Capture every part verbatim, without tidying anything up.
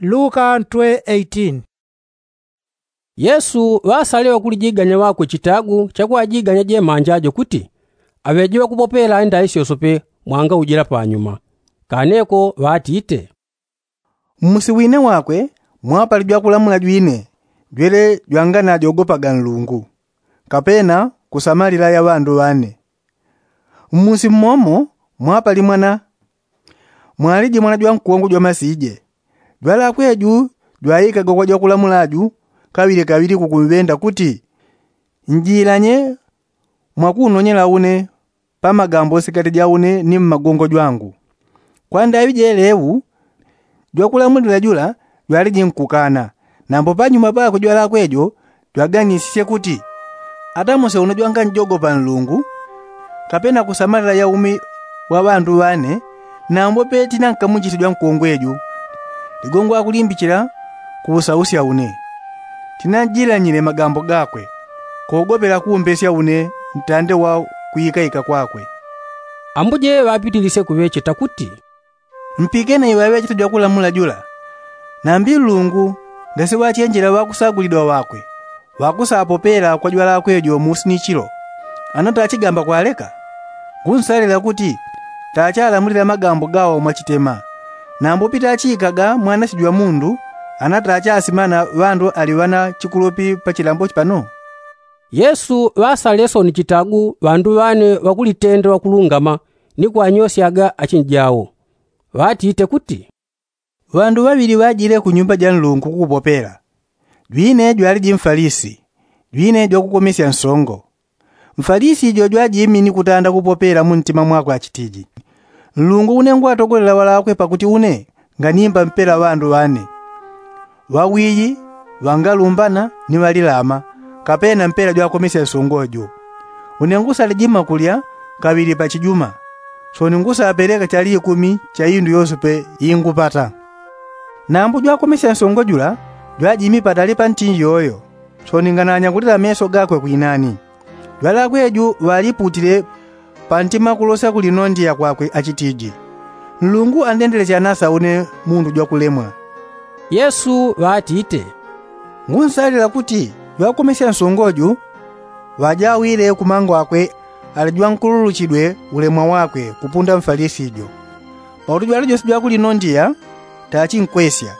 Luka ntwe eighteen. Yesu ŵasalile ŵakulijiganya ŵakwe chitagu chakwajiganya jemanja jo kuti aŵeje ŵakupopela indaŵi syosope mwanga ujila panyuma. Kaneko ŵatite, mmusi wine wakwe mwapali jwakulamula jwine jwele jwanganajogopaga nlungu, kapena kusamalila ya ŵandu ŵane. Mmusi mmomo mwapali mwana, mwaliji mwana jwankongo jwamasije. Jwalakwe ju jwaikaga kwa jwakulamula ju kaŵili kaŵili kukumŵenda kuti, njilanye mwakunonyela une pa magambo sikati ja une ni mmagongo jwangu. Kwa ndaŵi jeleŵu jwakulamulila jula jwaliji nkukana. Nambo panyuma pakwe jwalakwe jo jwaganisisye kuti, ata muse uno jwanganjogopa nlungu kapena kusamalila ya umi wa ŵandu ŵane, nambo pe tinankamuchite jwankongwe ju. Ligongo akulimbichila kuusausya une. Tinanjilanyile magambo gakwe kogopela kuumbesya une ntande wa kuikaika kwakwe. Ambuje ŵapitilisye kuŵecheta kuti, mpikene iŵaŵechete jwakulamula jula. Nambi nlungu ngasiŵachenjela ŵakusagulidwa ŵakwe ŵakusapopela kwa jwalakwe jo musi ni chilo, ana tachigamba kwaleka. Ngunsalila kuti tachalamulila magambo gawo mwachitema. Nambo pitachikaga mwanache jwa mundu, ana tachasimana ŵandu ali ŵana chikulupi pa chilambo pano? Yesu ŵasalile soni chitagu ŵandu ŵane ŵakulitenda ŵakulungama ni kwanyosyaga achinjawo, ŵatite kuti, ŵandu ŵaŵili ŵajile ku nyumba ja nlungu kukupopela. Jwine jwaliji mfalisi, jwine jwakukomesya nsongo. Mfalisi jo jwajimi ni kutanda kupopela mu ntima mwakwe achitiji, nlungu une ngwatogolela ŵalakwe pakuti une nganimba mpela ŵandu ŵane, ŵawiyi, ŵangalumbana ni ŵalilama, kapena mpela jwakomesya nsongo jo. Une ngusaliji makulya kaŵili pachijuma, soni ngusapeleka chali ikumi cha indu yosepe ingupata. Nambo jwakomesya nsongo jula jwajimi patali pa ntinji yoyo, soni ngananyagulila meso gakwe kwinani. Jwalakwe ju ŵaliputile pantima kulosya kulinondiya kwakwe achitiji, nlungu andendelesya nasa une mundu jwakulemwa. Yesu ŵatite, ngunsalila kuti jwakomesya nsongo ju ŵajawile kumangwakwe ali jwankululuchidwe ulemwa wakwe kupunda mfalisi jo. Pakuti jwali jose jwakulinondiya tachinkwesya,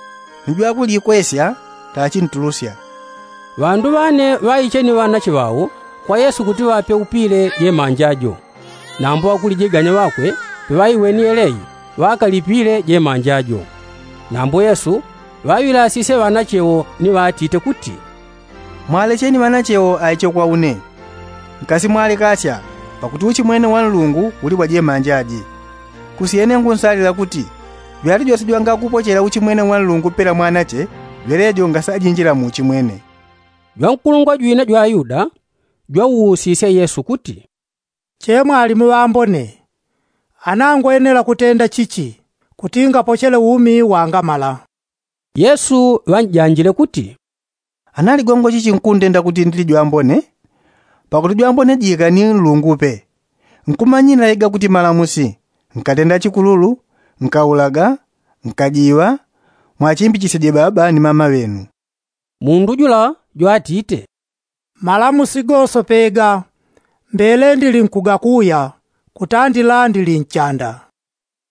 ni jwakulikwesya tachintulusya. Ŵandu ŵane ŵaiche ni ŵanache ŵawo kwa yesu kuti ŵape upile jemanja jo. Nambo ŵakulijiganya ŵakwe peŵaiweni yeleyi ŵakalipile jemanja jo. Nambo yesu ŵaŵilasisye ŵanache wo ni ŵatite kuti, mwalecheni ŵanache wo aiche kwa une, nkasimwalekasya, pakuti uchimwene wa nlungu uli wa jemanja ji. Kusyene ngunsalila kuti jwali jose jwangakupochela uchimwene wa nlungu pela mwanache, jwelejo ngasajinjila mu uchimwene. Jwankulungwa jwina jwa ayuda jwauusisya yesu kuti, che mwalimu ŵambone, ana ngwenela kutenda chichi kuti ngapochele umi wangamala? Yesu ŵanjanjile kuti, ana ligongo chichi nkundenda kuti ndili jwambone? Pakuti jwambone jika ni nlungu pe. Nkumanyila iga kuti malamusi, nkatenda chikululu, nkaulaga, nkajiŵa, mwachimbichisye je baba ni mama ŵenu. Mundu jula jwatite, malamusi gose pega mbele ndili nkugakuya kutandila ndili nchanda.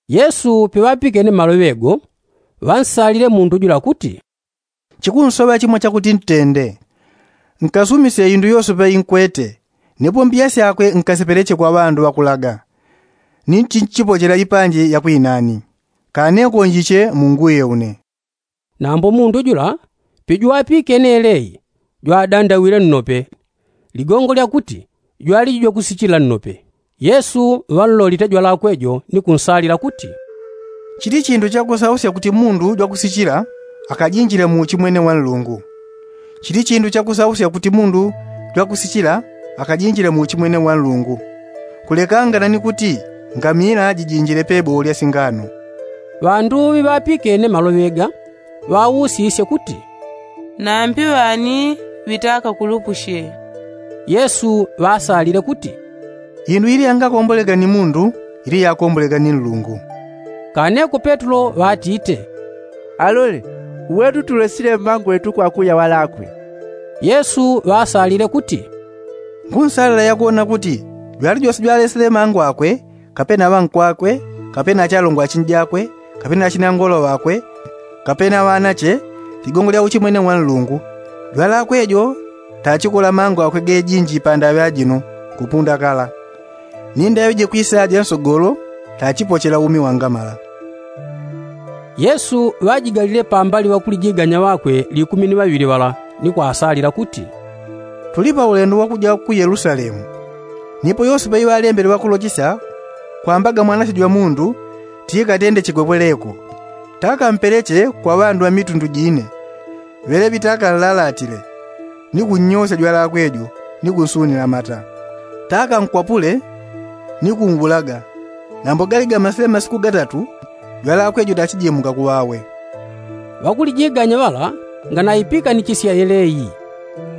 Yesu peŵapikene maloŵe go, ŵansalile mundu jula kuti, chikunsoŵa chimo chakuti ntende. Nkasumisye indu yosepe inkwete, ni pombiya syakwe nkasipeleche kwa ŵandu ŵakulaga, ni nchinchipochela ipanji ya kwinani. Kane konjiche munguye une. Nambo mundu jula pejwapikene yeleyi jwadandawile nnope, ligongo lyakuti jwaliji jwakusichila nnope. Yesu ŵanlolite jwalakwe jo ni kunsalila kuti, chili chindu chakusausya kuti mundu jwakusichila akajinjile mu uchimwene wa nlungu. Chili chindu chakusausya kuti mundu jwakusichila akajinjile mu uchimwene wa nlungu, kulekangana ni kuti ngamila jijinjile pebowo lya singano. Ŵandu ŵiŵapikene maloŵe ga ŵausisye kuti, nambi ŵani ŵitakakulupushe? Yesu ŵasalile kuti, indu ili yangakombolega ni mundu ili yakombolega ni nlungu. Kaneko petulo ŵatite, alole, Uwetu tulesile mangwetu kwakuya walakwe. Yesu ŵaasalile kuti, ngunsalila yakuwona kuti jwali jose jwalesile mangwakwe, kapena ŵankwakwe, kapena achalongwa achinjakwe, kapena achinangolo ŵakwe, kapena ŵanache, ligongo lya uchimwene wa nlungu, jwalakwe jo tachikola mangwakwe gejinji pandaŵe ajino kupunda kala. Ni ndaŵe jikwisaja nsogolo tachipochela umi wangamala. Yesu ŵajigalile pambali ŵakulijiganya ŵakwe likumi ni ŵaŵili ŵala, ni kwasalila kuti, tuli paulendo wakuja ku yelusalemu. Nipo yose paiŵalembele ŵakulochisya kwambaga mwanache jwa mundu tikatende chigwepweleko, takampeleche kwa ŵandu ŵa mitundu jine, ŵeleŵi takanlalatile, ni kunnyosya jwalakwe jo, ni kunsunila mata, takankwapule, ni kunwulaga. Nambo galigamasile masiku gatatu, jwalakwe jo tachijemuka kuŵawe. Ŵakulijiganya ŵala nganaipiikanichisya yeleyi.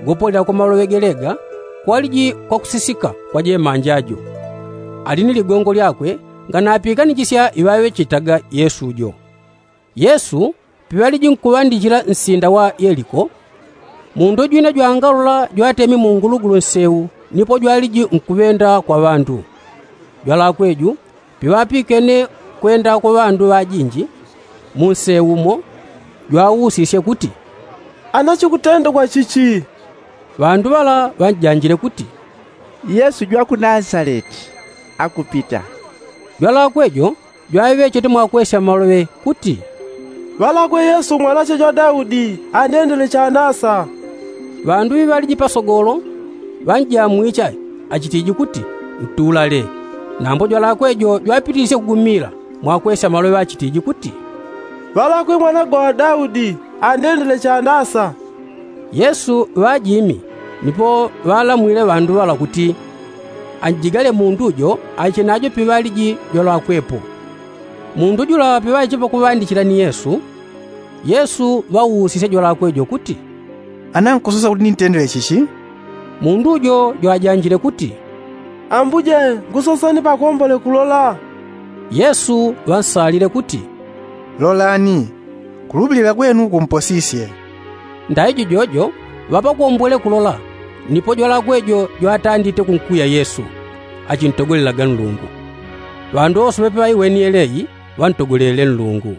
Gopolela kwa maloŵe gelega kwaliji kwakusisika kwa jemanja jo. Ali ni ligongo lyakwe nganapiikanichisya iŵaŵechetaga yesu jo. Yesu piŵaliji nkuŵandichila nsinda wa yeliko, mundu jwina jwangalola jwatemi mu ngulugulu nsewu nipo jwaliji nkuŵenda kwa ŵandu. Jwalakwe ju piŵapikene kwenda kwa ŵandu ŵajinji, mu nsewu mo jwausisye kuti, ana chikutendekwa chichi? Ŵandu ŵala ŵanjanjile kuti, yesu jwa ku nasaleti akupita. Jwalakwe jo jwaŵechete mwakwesya maloŵe kuti, ŵalakwe yesu mwanache jwa daudi, andendele chanasa. Ŵandu ŵiŵaliji pasogolo ŵanjamwiche achitiji kuti, ntulale. Nambo jwalakwe jo jwapitisye kugumila mwakwesya maloŵe achitiji kuti, ŵalakwe mwana gwa daudi, andendele chanasa. Yesu ŵajimi, nipo ŵalamwile ŵandu ŵala kuti, anjigale mundu jo aiche najo piŵaliji jwalakwepo. Mundu jula piŵaiche pakuŵandichila ni yesu, yesu ŵausisye jwalakwe jo kuti, ana nkusosa kuti nintendele chichi? Mundu jo jwajanjile kuti, ambuje, nkusoseni pakombole kulola. Yesu ŵansalile kuti, lolani, kulupilila kwenu kumposisye. Ndaijo jojo ŵapakombwele kulola, nipo jwalakwe jo jwatandite kunkuya yesu, achintogolelaga nlungu. Ŵandu wose ŵepe ŵaiweni yeleyi ŵantogolele nlungu.